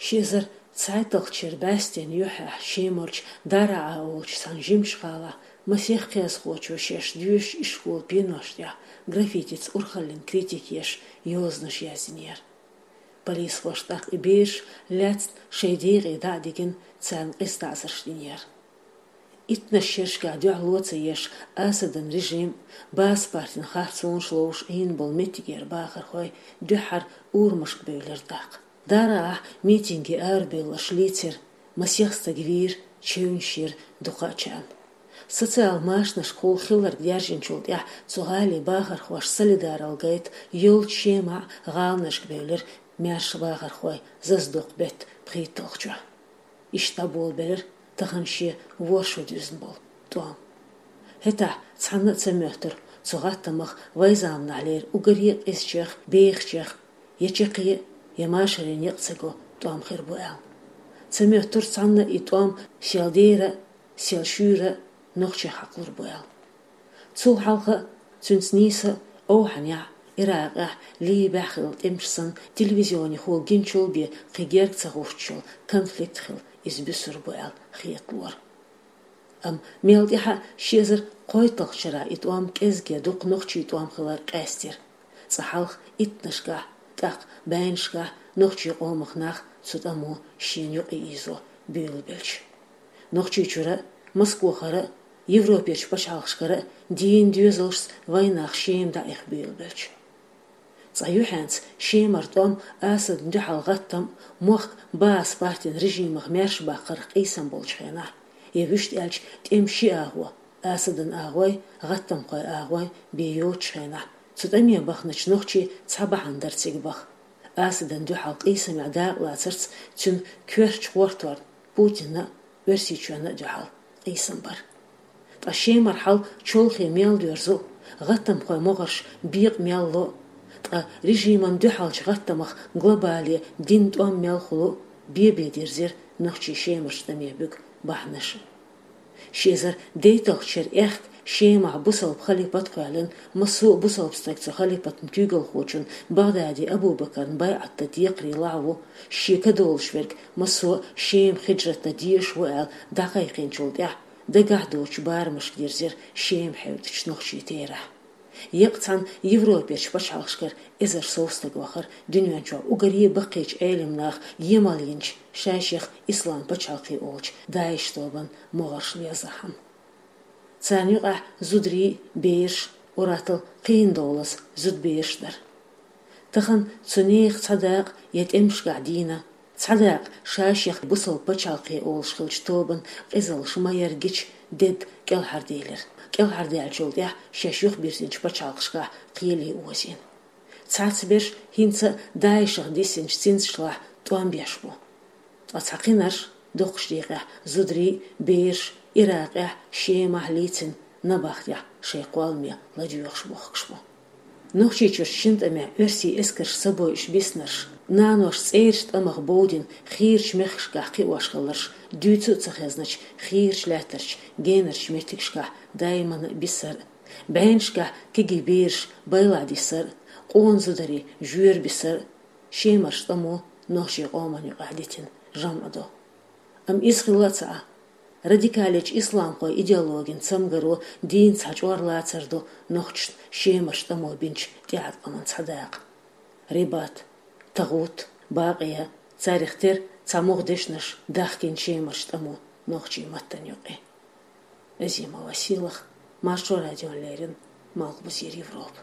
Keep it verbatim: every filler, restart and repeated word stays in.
Ши эзар цхьайтталгӀача шера бӀаьстенна юххьехь Шемарчу Дараа олучу цхьана жимачу гӀалахь масех кхиазхочо шаьш доьшучу ишколан пеношна тӀехь граффитица урхаллин критика еш йозанаш яздинера. Полисхоша тӀаккха и бераш лаьцна шайн декъе дӀа а дигна, царна къиза таӀзарш динера. Иттаннаш шерашкахь дуьхьало ца еш, Асадан режим, Баасанан партин харцонаш ловзуш Ӏийна болу меттигера бахархой дуьххьара урамашка бевлира тӀаккха. Дараахь митинге арабевлларш лийцира, масех стаг вийра, чевнаш йира дукхачарна. Социал машанашкахула хилларг даьржинчул тӀаьхьа цу гӀалин бахархоша солидаралла гайта йолчу Шемахь гӀаланашка бевлира маьрша бахархой зазадоккху беттан пхийтталгӀачохь. Иштта дӀаболабелира тахана шен ворхӀ шо дуьзна болу тӀом. ХӀетахь цхьанна а ца моьттура цу гӀаттамах вайн заманахьлера уггаре а къизачех, бехачех я чаккхе, я машаре некъ ца го тӀом хир бу аьлла. Ца моьттура цхьанна а и тӀом сел дера а, сел шуьйра а нохчех хьакхалур бу аьлла. Цул хьалха а, цуьнца нийса а Ӏовхьанехь, Иракъехь, Либехь хилла тӀемаш санна, телевизионехула гиначул бен кхин герга ца гӀуттуш йолу конфликт хилла иза буьсур бу аьлла хеталора. Амма мел тӀаьхьа ши эзар кхойтталгӀачу шарахь и тӀом кӀезиг дукха нохчийн тӀом хилар къаьстира. Цкъа хьалха иттаннашкахь, тӀаккха бӀеннашкахь нохчийн къомах нах цу тӀамо шена юкъа ийзо буьйлабелча. Нохчийчуьра а, Москохара а, Европерчу пачхьалкхашкара а дийна доьзалшца вайн нах Шема дӀаэха буьйлабелча. Цкъа юьхьанца Шемара тӀом, Асадан дуьхьал гӀаттам, мохк Баасанан партин режимах маьрша баккхарх къийсам болчу хенахь, я вуьшта аьлча тӀеман ши агӀо, Асадан агӀой, гӀаттамхойн агӀой бен йоцучу хенахь, цу тӀаме баханачу нохчийн цхьа бахьана дара цига баха. Асадан дуьхьал къийсамехь дакъалацарца цуьнан коьртачу гӀорторна, Путинна а, Оьрсийчоьнна а дуьхьал къийсам бар. Ткъа Шемара хьал чолхе мел доьрзу, гӀаттамхойн могӀарш бекъа мел ло, ткъа режимана дуьхьалчу гӀаттамах глобале дина тӀом мел хуьлу, бен-бен дирзира нохчийн Шемарчу тӀаме буьгу бахьанаш. Ши эзар дейтталгӀачу шеран аьхка Шемахь бусалба халипат а кхоьллина, массо а бусалба стаг цу халипатан куьйгалхочун БагӀдади Абу-Бакаран байӀат дан декхаре лахьа ву, шен ка долуш верг массо а Шема хиджрат дан дезаш ву аьлла дӀакхайкхийначул тӀаьхьа, дагахь доцучу барамашка дирзира Шема хьевдачу нохчийн терахь. Еккъа цхьана Европерчу пачхьалкхашкара эзар сов стаг вахара дуьнен чохь уггаре а баккхийчу Ӏелам наха емал йинчу, шайшех Ислам пачхьалкх олучу ДАИШ тобанан могӀарш лезахьама. Царна юкъахь зударий, бераш, уьттазза кхин долазза зудабераш дара. Тахана цу нехан цхьа дакъа я тӀемашкахь дийна, цхьа дакъа шайшех бусалба пачхьалкх олуш хиллачу тобанан къизаллаш ма-ярра гича, дедда кӀелхьарделира. КӀелхьардаьллачул тӀаьхьа шаьш юхабирзинчу пачхьалкхашкахь кхеле озийна. Цхьацца берш хӀинца а ДАИШах диссинчу цинцашлахь тӀом беш бу. Ткъа цхьа кхинарш, дукхачу декъехь зударий, бераш Иракъехь, Шемахь лийцина набахтехь шайн кхолламе ладоьгӀуш бохкуш бу. Нохчийчуьрчу шина тӀамехь оьрсийн эскарш ца бойуш биснарш, нанош цӀерачу тӀамах бовдина хийрачу мехкашкахь кхиош хилларш, дуьйцу а ца хезначу хийрачу лаьттарчу генарчу меттигашкахь даимана а бисар а, бӀеннашкахь кегий бераш байла дисар а, къона зударий жоьра бисар а, Шемарчу тӀамо нохчийн къомана юкъахь дитина жамӀ ду. Амма иза хилла а ца Ӏа, радикалечу исламхойн идеологин цамгаро дийна цхьа чӀор лацар ду нохчашна Шемарчу тӀамо бинчу тӀеӀаткъаман цхьа дакъа. Рибат, ТагӀут, Бакъия, царех тера цхьа могӀа дешнаш дахкийна Шемарчу тӀамо нохчийн маттана юкъе. Азимова Сийлаха, Маршо радиона леррина, Малхбузера Европа.